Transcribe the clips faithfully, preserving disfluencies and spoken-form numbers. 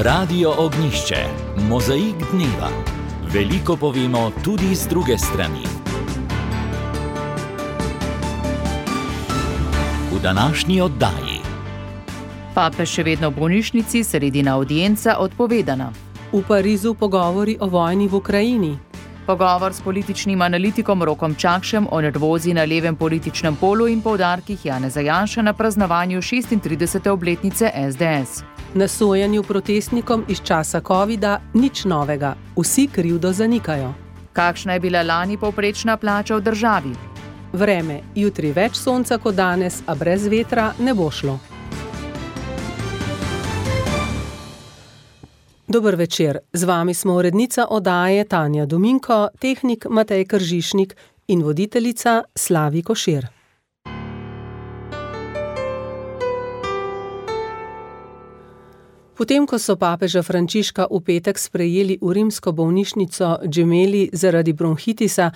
Radio Ognjišče, mozaik dneva. Veliko povemo tudi z druge strani. V današnji oddaji. Papež še vedno v bolnišnici, sredina avdienca odpovedana. V Parizu pogovori o vojni v Ukrajini. Pogovor s političnim analitikom Rokom Čakšem o nervozi na levem političnem polu in poudarkih Janeza Janše na praznovanju šestintridesete obletnice es de es. Na sojenju protestnikom iz časa covida nič novega, vsi krivdo zanikajo. Kakšna je bila lani povprečna plača v državi? Vreme, jutri več sonca kot danes, a brez vetra ne bo šlo. Dober večer, z vami smo urednica oddaje Tanja Dominko, tehnik Matej Kržišnik in voditeljica Slavi Košir. Potem, ko so papeža Frančiška v petek sprejeli v rimsko bolnišnico Gemelli zaradi bronhitisa,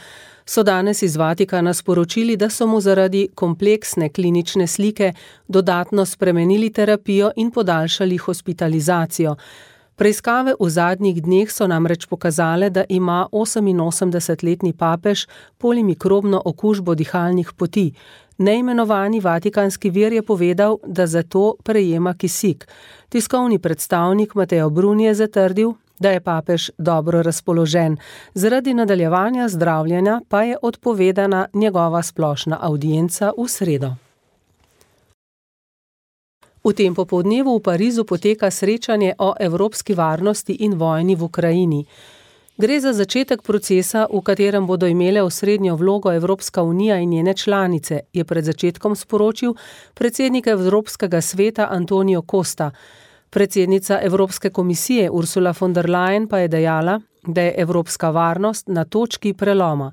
so danes iz Vatikana sporočili, da so mu zaradi kompleksne klinične slike dodatno spremenili terapijo in podaljšali hospitalizacijo. Preiskave v zadnjih dneh so namreč pokazale, da ima oseminosemdesetletni papež polimikrobno okužbo dihalnih poti. Neimenovani vatikanski vir je povedal, da zato prejema kisik. Tiskovni predstavnik Matteo Bruni je zatrdil, da je papež dobro razpoložen. Zaradi nadaljevanja zdravljenja pa je odpovedana njegova splošna avdienca v sredo. V tem popoldnevu v Parizu poteka srečanje o evropski varnosti in vojni v Ukrajini. Gre za začetek procesa, v katerem bodo imele osrednjo vlogo Evropska unija in njene članice, je pred začetkom sporočil predsednik Evropskega sveta Antonio Costa. Predsednica Evropske komisije Ursula von der Leyen pa je dejala, da je evropska varnost na točki preloma.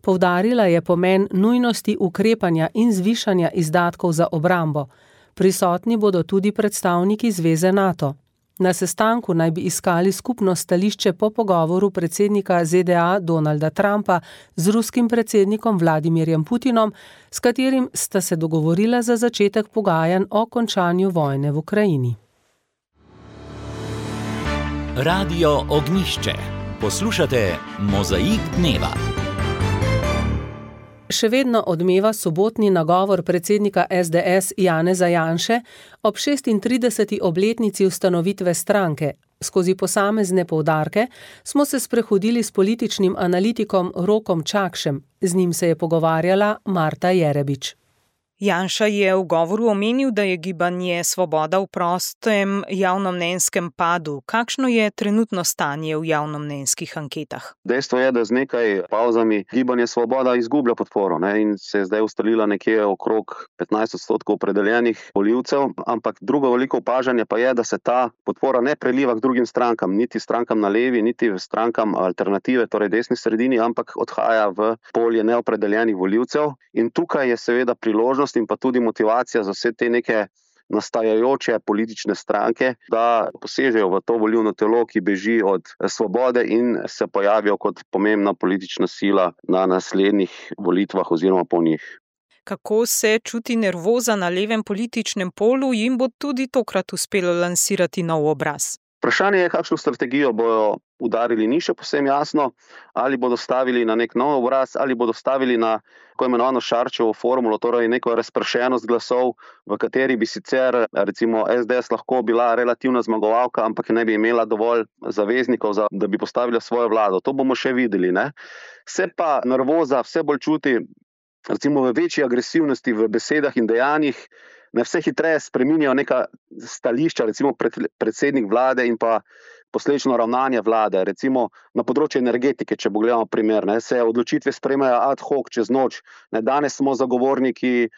Poudarila je pomen nujnosti ukrepanja in zvišanja izdatkov za obrambo. Prisotni bodo tudi predstavniki Zveze NATO. Na sestanku naj bi iskali skupno stališče po pogovoru predsednika ze de a Donalda Trumpa z ruskim predsednikom Vladimirjem Putinom, s katerim sta se dogovorila za začetek pogajanj o končanju vojne v Ukrajini. Radio Ognjišče. Poslušate mozaik dneva. Še vedno odmeva sobotni nagovor predsednika es de es Janeza Janše ob šestintrideseti obletnici ustanovitve stranke. Skozi posamezne poudarke smo se sprehodili s političnim analitikom Rokom Čakšem. Z njim se je pogovarjala Marta Jerebič. Janša je v govoru omenil, da je gibanje Svoboda v prostem javnomnenjskem padu. Kakšno je trenutno stanje v javnomnenjskih anketah? Dejstvo je, da z nekaj pavzami gibanje Svoboda izgublja podporo, ne, in se je zdaj ustalila nekje okrog petnajst odstotkov opredeljenih volivcev, ampak drugo veliko opažanje pa je, da se ta podpora ne preliva k drugim strankam, niti strankam na levi, niti strankam alternative, torej desni sredini, ampak odhaja v polje neopredeljenih volivcev. In tukaj je seveda priložnost in pa tudi motivacija za vse te neke nastajajoče politične stranke, da posežejo v to volilno telo, ki beži od svobode in se pojavijo kot pomembna politična sila na naslednjih volitvah oziroma po njih. Kako se čuti nervoza na levem političnem polu, jim bo tudi tokrat uspelo lansirati nov obraz? Vprašanje je, kakšno strategijo bodo udarili, ni še povsem jasno, ali bodo stavili na nek nov obraz, ali bodo stavili na tako imenovano Šarčevo formulo, torej neko razpršenost glasov, v kateri bi sicer recimo es de es lahko bila relativna zmagovalka, ampak ne bi imela dovolj zaveznikov, za, da bi postavila svojo vlado. To bomo še videli, ne? Se pa nervoza vse bolj čuti recimo v večji agresivnosti v besedah in dejanjih, ne vse hitreje spreminjajo neka stališča, recimo predsednik vlade in pa posledično ravnanje vlade, recimo na področju energetike, če pogledamo primer, ne, se odločitve sprejmejo ad hoc čez noč. Ne, danes smo zagovorniki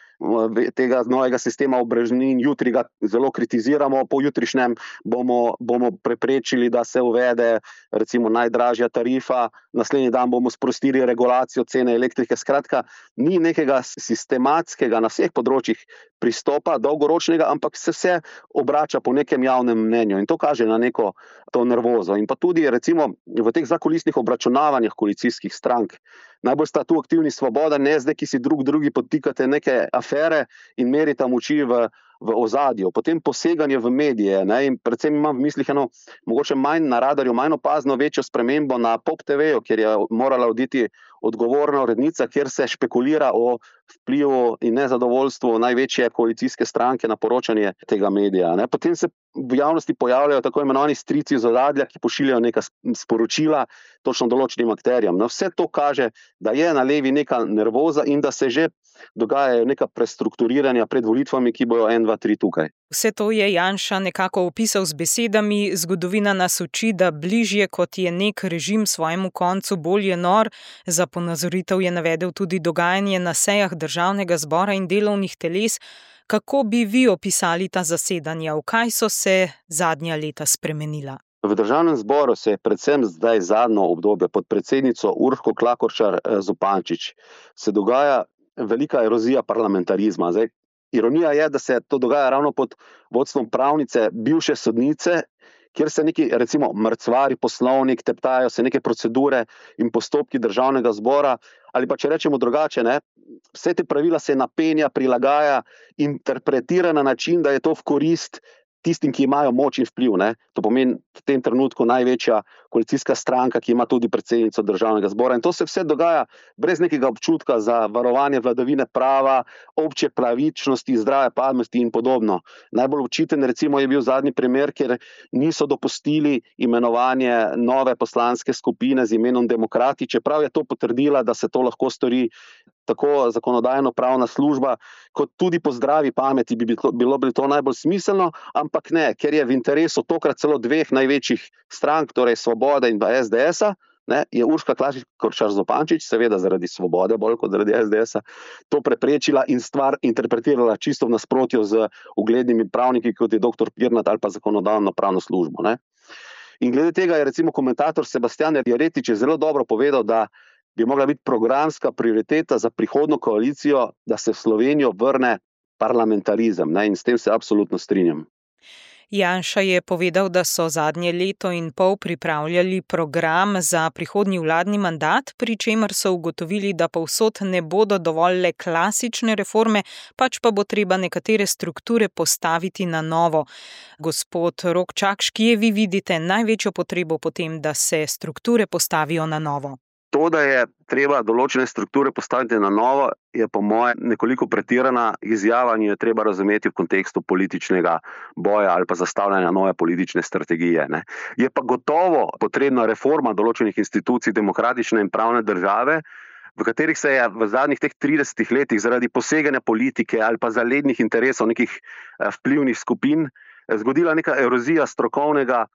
tega novega sistema obrežnin, jutri ga zelo kritiziramo, po jutrišnjem bomo, bomo preprečili, da se uvede recimo najdražja tarifa, naslednji dan bomo sprostili regulacijo cene elektrike. Skratka, ni nekega sistematskega na vseh področjih pristopa, dolgoročnega, ampak se vse obrača po nekem javnem mnenju in to kaže na neko to nervozo. In pa tudi recimo v teh zakulisnih obračunavanjih koalicijskih strank. Najbolj sta tu aktivni Svoboda in es de, ki si drug drugi podtikate neke afere in merita moči v v ozadju, potem poseganje v medije, ne, in predvsem imam v mislih eno, mogoče manj na radarju, manj opazno večjo spremembo na Pop te veju, kjer je morala oditi odgovorna urednica, kjer se špekulira o vplivu in nezadovoljstvu največje koalicijske stranke na poročanje tega medija. Ne. Potem se v javnosti pojavljajo tako imenovani strici iz ozadja, ki pošiljajo neka sporočila točno določenim akterjem. No, vse to kaže, da je na levi neka nervoza in da se že dogajajo neka prestrukturiranja pred volitvami, ki bojo en, dva, tri tukaj. Vse to je Janša nekako opisal z besedami: zgodovina nas uči, da bližje kot je nek režim svojemu koncu, bolj je nor. Za ponazoritev je navedel tudi dogajanje na sejah Državnega zbora in delovnih teles. Kako bi vi opisali ta zasedanja? V kaj so se zadnja leta spremenila? V Državnem zboru se je predvsem zdaj zadnjo obdobje pod predsednico Urško Klakočar Zupančič se dogaja velika erozija parlamentarizma. Zdaj, ironija je, da se to dogaja ravno pod vodstvom pravnice, bivše sodnice, kjer se neki, recimo, mrcvari poslovnik, teptajo se neke procedure in postopki Državnega zbora, ali pa če rečemo drugače, ne, vse te pravila se napenja, prilagaja, interpretira na način, da je to v korist tistim, ki imajo moč in vpliv. Ne. To pomeni v tem trenutku največja koalicijska stranka, ki ima tudi predsednico Državnega zbora. In to se vse dogaja brez nekega občutka za varovanje vladavine prava, obče pravičnosti, zdrave pameti in podobno. Najbolj očiten recimo je bil zadnji primer, kjer niso dopustili imenovanje nove poslanske skupine z imenom Demokrati, čeprav je to potrdila, da se to lahko stori tako zakonodajno-pravna služba, kot tudi po zdravi pameti bi bilo, bilo bi to najbolj smiselno, ampak ne, ker je v interesu tokrat celo dveh največjih strank, torej Svobode in pa es de esa, ne, je Urška Klakočar Zupančič, seveda zaradi Svobode, bolj kot zaradi es de esa, to preprečila in stvar interpretirala čisto v nasprotju z uglednimi pravniki, kot je doktor Pirnat ali pa zakonodajno-pravno službo. Ne. In glede tega je recimo komentator Sebastian Jeretič zelo dobro povedal, da bi mogla biti programska prioriteta za prihodnjo koalicijo, da se v Slovenijo vrne parlamentarizem, ne, in s tem se absolutno strinjam. Janša je povedal, da so zadnje leto in pol pripravljali program za prihodnji vladni mandat, pri čemer so ugotovili, da povsod ne bodo dovolj le klasične reforme, pač pa bo treba nekatere strukture postaviti na novo. Gospod Rok Čakš, kje vi vidite največjo potrebo potem, da se strukture postavijo na novo? To, da je treba določene strukture postaviti na novo, je po moje nekoliko pretirana izjava in jo je treba razumeti v kontekstu političnega boja ali pa zastavljanja nove politične strategije. Ne. Je pa gotovo potrebna reforma določenih institucij demokratične in pravne države, v katerih se je v zadnjih teh tridesetih letih zaradi poseganja politike ali pa zalednih interesov nekih vplivnih skupin zgodila neka erozija strokovnega,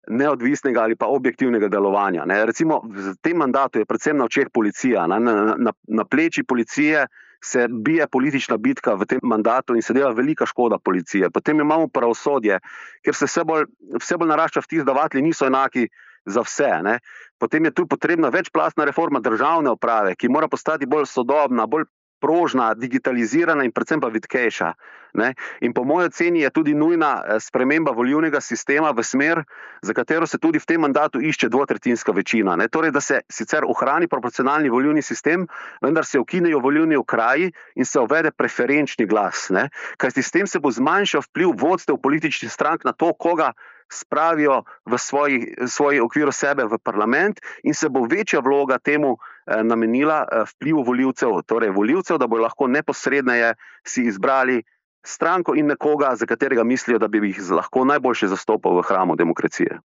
neodvisnega ali pa objektivnega delovanja. Ne. Recimo v tem mandatu je predvsem na očeh policija. Na, na, na pleči policije se bije politična bitka v tem mandatu in se dela velika škoda policije. Potem imamo pravosodje, ker se vse bolj, vse bolj narašča vtis, da vatli niso enaki za vse. Ne. Potem je tu potrebna večplastna reforma državne uprave, ki mora postati bolj sodobna, bolj prožna, digitalizirana in predvsem pa vitkejša. Ne? In po moji oceni je tudi nujna sprememba volilnega sistema v smer, za katero se tudi v tem mandatu išče dvotretjinska večina. Ne? Torej, da se sicer ohrani proporcionalni volilni sistem, vendar se ukinejo volilni okraji in se uvede preferenčni glas. Ne? Kajti s tem se bo zmanjšal vpliv vodstev političnih strank na to, koga spravijo v svoji, svoji okviru sebe v parlament in se bo večja vloga temu eh, namenila eh, vplivu volivcev, torej volivcev, da bo lahko neposredneje si izbrali stranko in nekoga, za katerega mislijo, da bi jih lahko najboljše zastopal v hramu demokracije.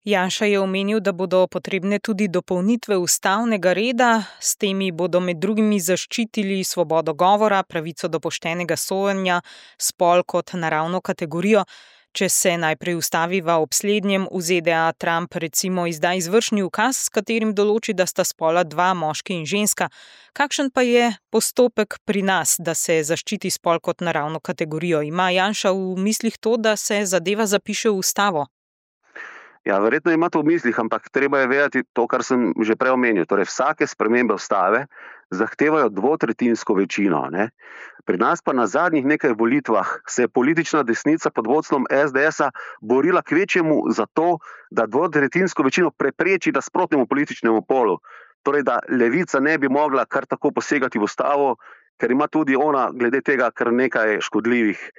Janša je omenil, da bodo potrebne tudi dopolnitve ustavnega reda, s temi bodo med drugimi zaščitili svobodo govora, pravico do poštenega sojenja, spol kot naravno kategorijo. Če se najprej ustaviva ob slednjem, v ze de a Trump recimo izda izvršni ukaz, s katerim določi, da sta spola dva, moški in ženska. Kakšen pa je postopek pri nas, da se zaščiti spol kot naravno kategorijo? Ima Janša v mislih to, da se zadeva zapiše v ustavo? Ja, verjetno ima to v mislih, ampak treba je vedeti to, kar sem že prej omenil. Torej, vsake spremembe ustave zahtevajo dvotretjinsko večino. Ne? Pri nas pa na zadnjih nekaj volitvah se je politična desnica pod vodstvom es de esa borila kvečjemu za to, da dvotretjinsko večino prepreči nasprotnemu političnemu polu. Torej, da levica ne bi mogla kar tako posegati v ustavo, ker ima tudi ona glede tega kar nekaj škodljivih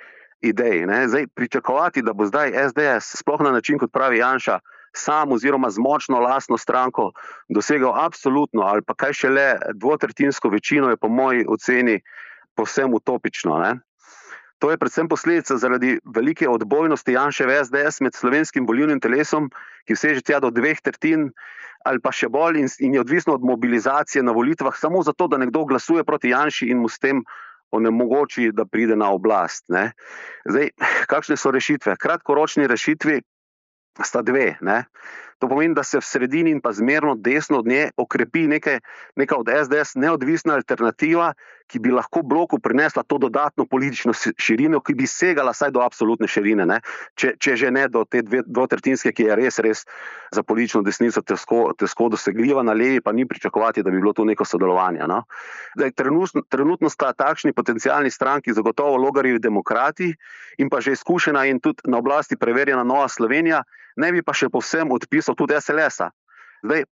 idej. Ne. Zdaj, pričakovati, da bo zdaj es de es, sploh na način, kot pravi Janša, sam oziroma z močno lastno stranko dosegal absolutno ali pa kaj šele dvotretjinsko večino, je po moji oceni povsem utopično. Ne. To je predvsem posledica zaradi velike odbojnosti Janševe es de es med slovenskim volilnim telesom, ki seže tja do dveh tretjin ali pa še bolj in, in je odvisno od mobilizacije na volitvah samo zato, da nekdo glasuje proti Janši in mu s tem onemogoči, da pride na oblast. Ne. Zdaj, kakšne so rešitve? Kratkoročni rešitvi sta dve. Ne. To pomeni, da se v sredini in pa zmerno desno od nje okrepi nekaj, neka od es de es neodvisna alternativa, ki bi lahko bloku prinesla to dodatno politično širino, ki bi segala saj do absolutne širine, ne? Če, če že ne do te dve, dvotretjinske, ki je res, res za politično desnico težko, težko dosegljiva, na levi pa ni pričakovati, da bi bilo to neko sodelovanje. No? Zdaj, trenutno, trenutno sta takšni potencialni stranki zagotovo Logarjevi demokrati in pa že izkušena in tudi na oblasti preverjena Nova Slovenija, ne bi pa še povsem odpisal tudi es el es-a. Zdaj,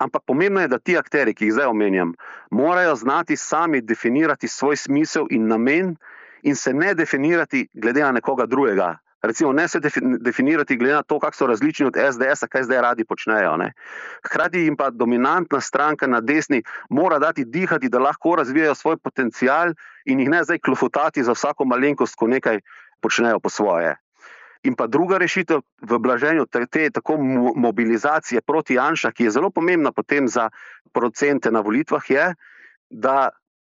ampak pomembno je, da ti akteri, ki jih zdaj omenjam, morajo znati sami definirati svoj smisel in namen in se ne definirati glede na nekoga drugega. Recimo, ne se definirati glede na to, kako so različni od es de es-a, kaj zdaj radi počnejo. Ne. Hkrati jim pa dominantna stranka na desni mora dati dihati, da lahko razvijajo svoj potencial in jih ne zdaj klofutati za vsako malenkost, ko nekaj počnejo po svoje. In pa druga rešitev v blaženju te, te tako mobilizacije proti Janša, ki je zelo pomembna potem za procente na volitvah, je, da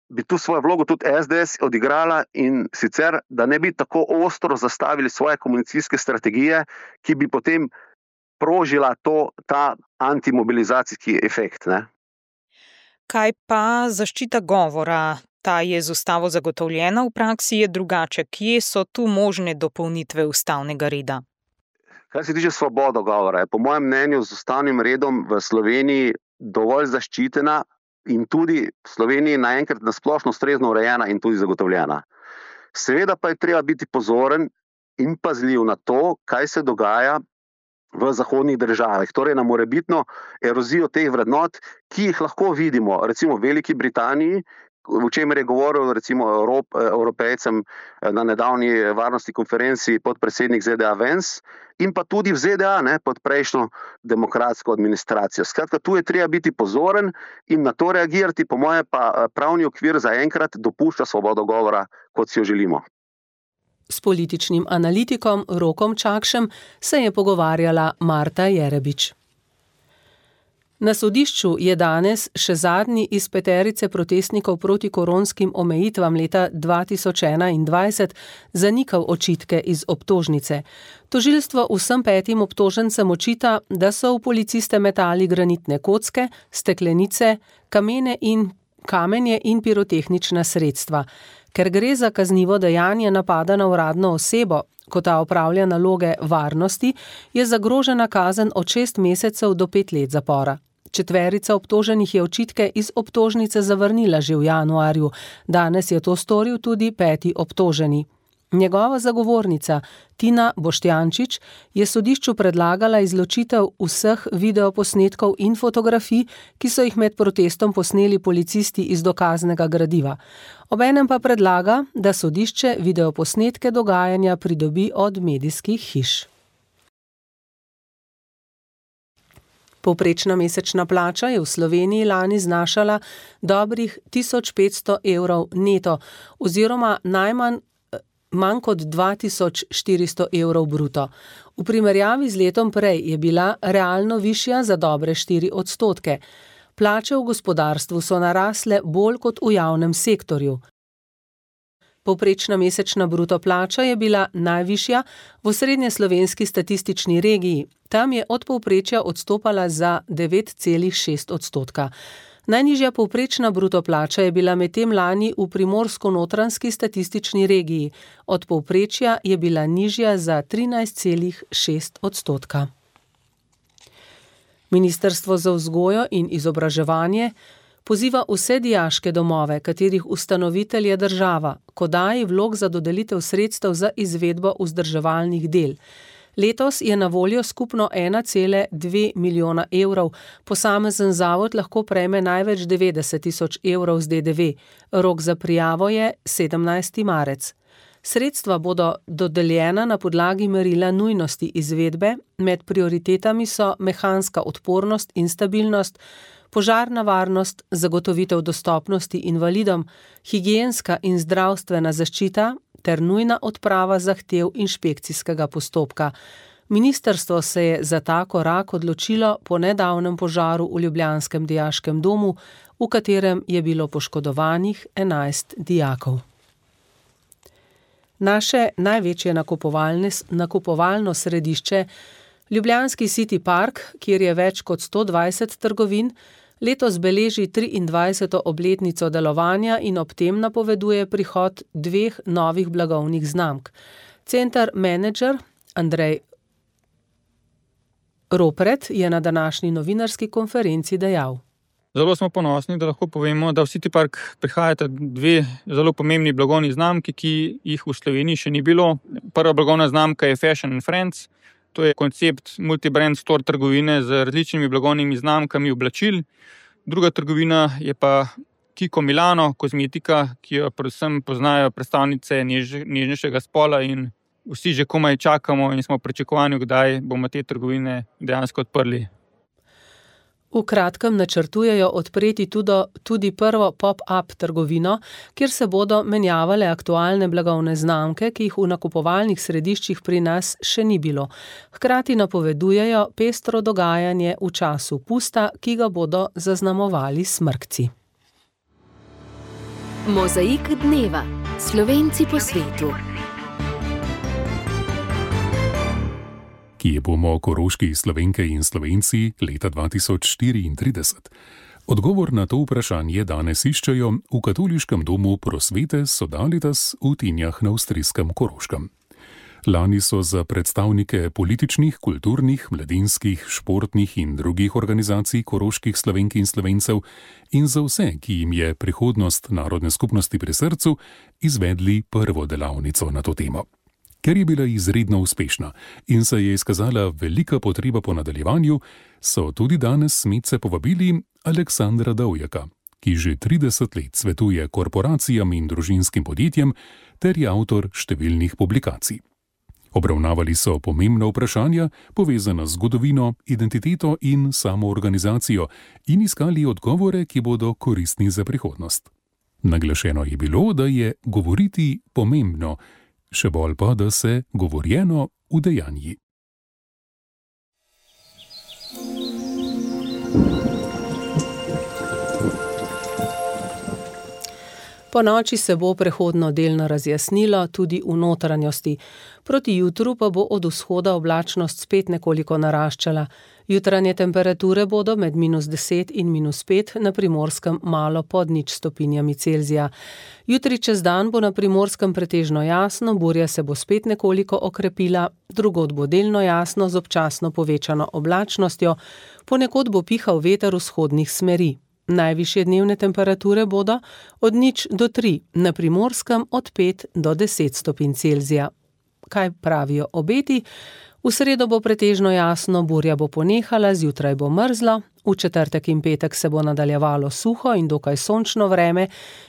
bi tu svojo vlogo tudi es de es odigrala in sicer, da ne bi tako ostro zastavili svoje komunikacijske strategije, ki bi potem prožila to, ta antimobilizacijski efekt. Ne? Kaj pa zaščita govora? Ta je z ustavo zagotovljena, v praksi je drugače. Kje so tu možne dopolnitve ustavnega reda? Kar se tiče svobode govora, je po mojem mnenju z ustavnim redom v Sloveniji dovolj zaščitena in tudi v Sloveniji naenkrat nasplošno ustrezno urejena in tudi zagotovljena. Seveda pa je treba biti pozoren in pazljiv na to, kaj se dogaja v zahodnih državah, torej na morebitno erozijo teh vrednot, ki jih lahko vidimo, recimo v Veliki Britaniji, v čemer je govoril recimo Evrop, Evropejcem na nedavni varnostni konferenci podpredsednik zet de a Vance in pa tudi v zet de a ne, pod prejšnjo demokratsko administracijo. Skratka, tu je treba biti pozoren in na to reagirati, po moje pa pravni okvir zaenkrat dopušča svobodo govora, kot si jo želimo. S političnim analitikom Rokom Čakšem se je pogovarjala Marta Jerebič. Na sodišču je danes še zadnji iz peterice protestnikov proti koronskim omejitvam leta dva tisoč enaindvajset zanikal očitke iz obtožnice. Tožilstvo vsem petim obtožencem očita, da so v policiste metali granitne kocke, steklenice, kamene in kamenje in pirotehnična sredstva. Ker gre za kaznivo dejanje napada na uradno osebo, ko ta opravlja naloge varnosti, je zagrožena kazen od šest mesecev do pet let zapora. Četverica obtoženih je očitke iz obtožnice zavrnila že v januarju, danes je to storil tudi peti obtoženi. Njegova zagovornica Tina Boštjančič je sodišču predlagala izločitev vseh videoposnetkov in fotografij, ki so jih med protestom posneli policisti iz dokaznega gradiva. Obenem pa predlaga, da sodišče videoposnetke dogajanja pridobi od medijskih hiš. Povprečna mesečna plača je v Sloveniji lani znašala dobrih tisoč petsto evrov neto oziroma najmanj manj kot dva tisoč štiristo evrov bruto. V primerjavi z letom prej je bila realno višja za dobre štiri odstotke. Plače v gospodarstvu so narasle bolj kot v javnem sektorju. Povprečna mesečna bruto plača je bila najvišja v osrednjeslovenski statistični regiji. Tam je od povprečja odstopala za devet celih šest odstotka. Najnižja povprečna bruto plača je bila medtem lani v primorsko-notranjski statistični regiji. Od povprečja je bila nižja za trinajst celih šest odstotka. Ministrstvo za vzgojo in izobraževanje poziva vse dijaške domove, katerih ustanovitelj je država, k oddaji vlog za dodelitev sredstev za izvedbo vzdrževalnih del. Letos je na voljo skupno ena cela dve milijona evrov, posamezen zavod lahko prejme največ devetdeset tisoč evrov z de de ve. Rok za prijavo je sedemnajsti marec. Sredstva bodo dodeljena na podlagi merila nujnosti izvedbe, med prioritetami so mehanska odpornost in stabilnost, požarna varnost, zagotovitev dostopnosti invalidom, higienska in zdravstvena zaščita ter nujna odprava zahtev inšpekcijskega postopka. Ministrstvo se je za ta korak odločilo po nedavnem požaru v ljubljanskem dijaškem domu, v katerem je bilo poškodovanih enajst dijakov. Naše največje nakupovalno središče, ljubljanski City Park, kjer je več kot sto dvajset trgovin, letos beleži triindvajseto obletnico delovanja in ob tem napoveduje prihod dveh novih blagovnih znamk. Center menedžer Andrej Ropret je na današnji novinarski konferenci dejal. Zelo smo ponosni, da lahko povemo, da v City Park prihajata dve zelo pomembni blagovni znamki, ki jih v Sloveniji še ni bilo. Prva blagovna znamka je Fashion and Friends. To je koncept multibrand store trgovine z različnimi blagovnimi znamkami oblačil. Druga trgovina je pa Kiko Milano, kozmetika, ki jo predvsem poznajo predstavnice než, nežnejšega spola in vsi že komaj čakamo in smo v pričakovanju, kdaj bomo te trgovine dejansko odprli. V kratkem načrtujejo odpreti tudi, tudi prvo pop-up trgovino, kjer se bodo menjavale aktualne blagovne znamke, ki jih v nakupovalnih središčih pri nas še ni bilo. Hkrati napovedujejo pestro dogajanje v času pusta, ki ga bodo zaznamovali smrkci. Mozaik dneva. Slovenci po svetu. Kje bomo koroški Slovenke in Slovenci leta dva tisoč štiriintrideset? Odgovor na to vprašanje danes iščejo v katoliškem domu Prosvete Sodalitas v Tinjah na avstrijskem Koroškem. Lani so za predstavnike političnih, kulturnih, mladinskih, športnih in drugih organizacij koroških Slovenk in Slovencev in za vse, ki jim je prihodnost narodne skupnosti pri srcu, izvedli prvo delavnico na to temo. Ker je bila izredno uspešna in se je izkazala velika potreba po nadaljevanju, so tudi danes Smedce povabili Aleksandra Dovjaka, ki že trideset let svetuje korporacijam in družinskim podjetjem ter je avtor številnih publikacij. Obravnavali so pomembna vprašanja, povezana z zgodovino, identiteto in samoorganizacijo in iskali odgovore, ki bodo koristni za prihodnost. Naglašeno je bilo, da je govoriti pomembno, še bolj pa, da se govorjeno udejanji. Po noči se bo prehodno delno razjasnilo tudi v notranjosti. Proti jutru pa bo od vzhoda oblačnost spet nekoliko naraščala. Jutranje temperature bodo med minus deset in minus pet, na Primorskem malo pod nič stopinjami Celzija. Jutri čez dan bo na Primorskem pretežno jasno, burja se bo spet nekoliko okrepila, drugod bo delno jasno z občasno povečano oblačnostjo, ponekod bo pihal veter vzhodnih smeri. Najvišje dnevne temperature bodo od nič do tri, na Primorskem od pet do deset stopinj Celzija. Kaj pravijo obeti? V sredo bo pretežno jasno, burja bo ponehala, zjutraj bo mrzlo, v četrtek in petek se bo nadaljevalo suho in dokaj sončno vreme,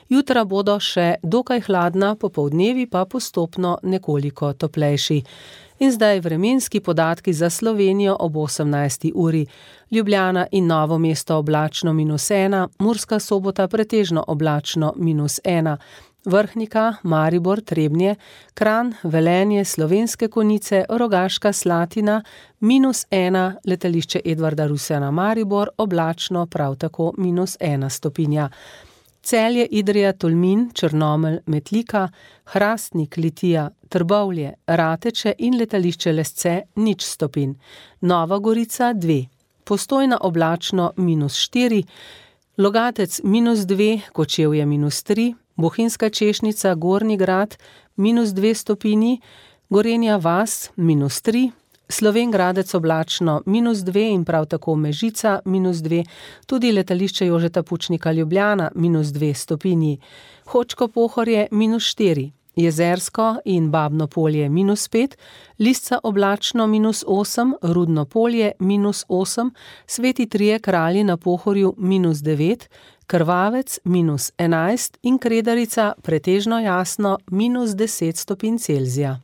jutra bodo še dokaj hladna, popoldnevi pa postopno nekoliko toplejši. In zdaj vremenski podatki za Slovenijo ob osemnajsti uri. Ljubljana in Novo mesto oblačno minus ena, Murska Sobota pretežno oblačno minus ena, Vrhnika, Maribor, Trebnje, Kranj, Velenje, Slovenske Konjice, Rogaška Slatina, minus ena, letališče Edvarda Rusjana Maribor, oblačno prav tako minus ena stopinja. Celje, Idrija, Tolmin, Črnomelj, Metlika, Hrastnik, Litija, Trbovlje, Rateče in letališče Lesce nič stopinj. Nova Gorica dve, Postojna oblačno minus štiri, Logatec minus dve, Kočevje minus tri, Bohinjska Češnica, Gornji Grad minus dve stopinji, Gorenja vas minus tri, Slovenj Gradec oblačno minus dve in prav tako Mežica minus dve, tudi letališče Jožeta Pučnika Ljubljana minus dve stopinji, Hočko Pohorje minus štiri, Jezersko in Babno Polje minus pet, Lisca oblačno minus osem, Rudno Polje minus osem, Sveti Trije Kralji na Pohorju minus devet, Krvavec minus enajst in Kredarica pretežno jasno minus deset stopinj Celzija.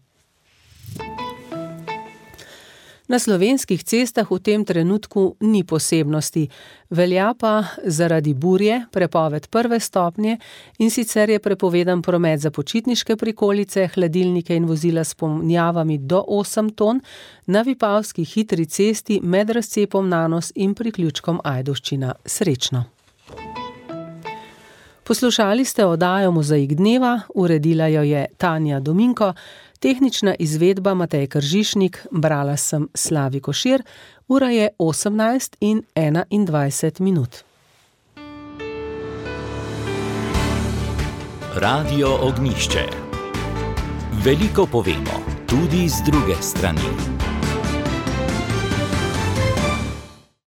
Na slovenskih cestah v tem trenutku ni posebnosti, velja pa zaradi burje prepoved prve stopnje, in sicer je prepovedan promet za počitniške prikolice, hladilnike in vozila s ponjavami do osem ton na Vipavski hitri cesti med razcepom Nanos in priključkom Ajdovščina. Srečno! Poslušali ste oddajo Mozaik dneva, uredila jo je Tanja Dominko, tehnična izvedba Matej Kržišnik, brala sem Slavi Košir, ura je osemnajst in enaindvajset minut. Radio Ognjišče. Veliko povemo, tudi z druge strani.